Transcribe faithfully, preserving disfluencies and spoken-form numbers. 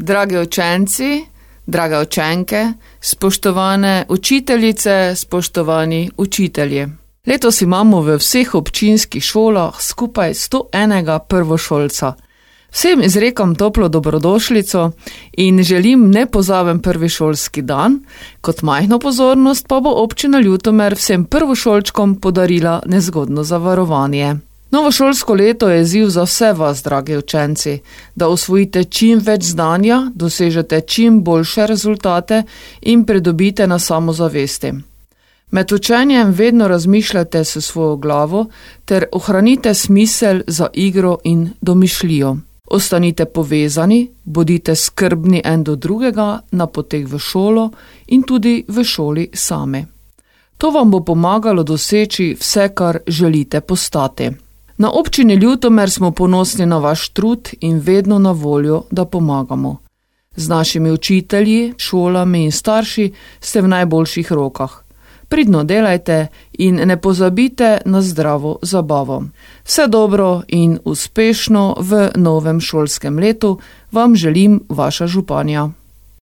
Dragi učenci, drage učenke, spoštovane učiteljice, spoštovani učitelji. Letos imamo v vseh občinskih šolah skupaj sto enega prvošolca. Vsem izrekam toplo dobrodošlico in želim nepozaben prvi šolski dan, kot majhno pozornost pa bo občina Ljutomer vsem prvošolčkom podarila nezgodno zavarovanje. Novo šolsko leto je izziv za vse vas, dragi učenci, da osvojite čim več znanja, dosežete čim boljše rezultate in pridobite na samozavesti. Med učenjem vedno razmišljate s svojo glavo ter ohranite smisel za igro in domišljijo. Ostanite povezani, bodite skrbni en do drugega na poteh v šolo in tudi v šoli same. To vam bo pomagalo doseči vse, kar želite postati. Na občini Ljutomer smo ponosni na vaš trud in vedno na voljo, da pomagamo. Z našimi učitelji, šolami in starši ste v najboljših rokah. Pridno delajte in ne pozabite na zdravo zabavo. Vse dobro in uspešno v novem šolskem letu vam želim vaša županja.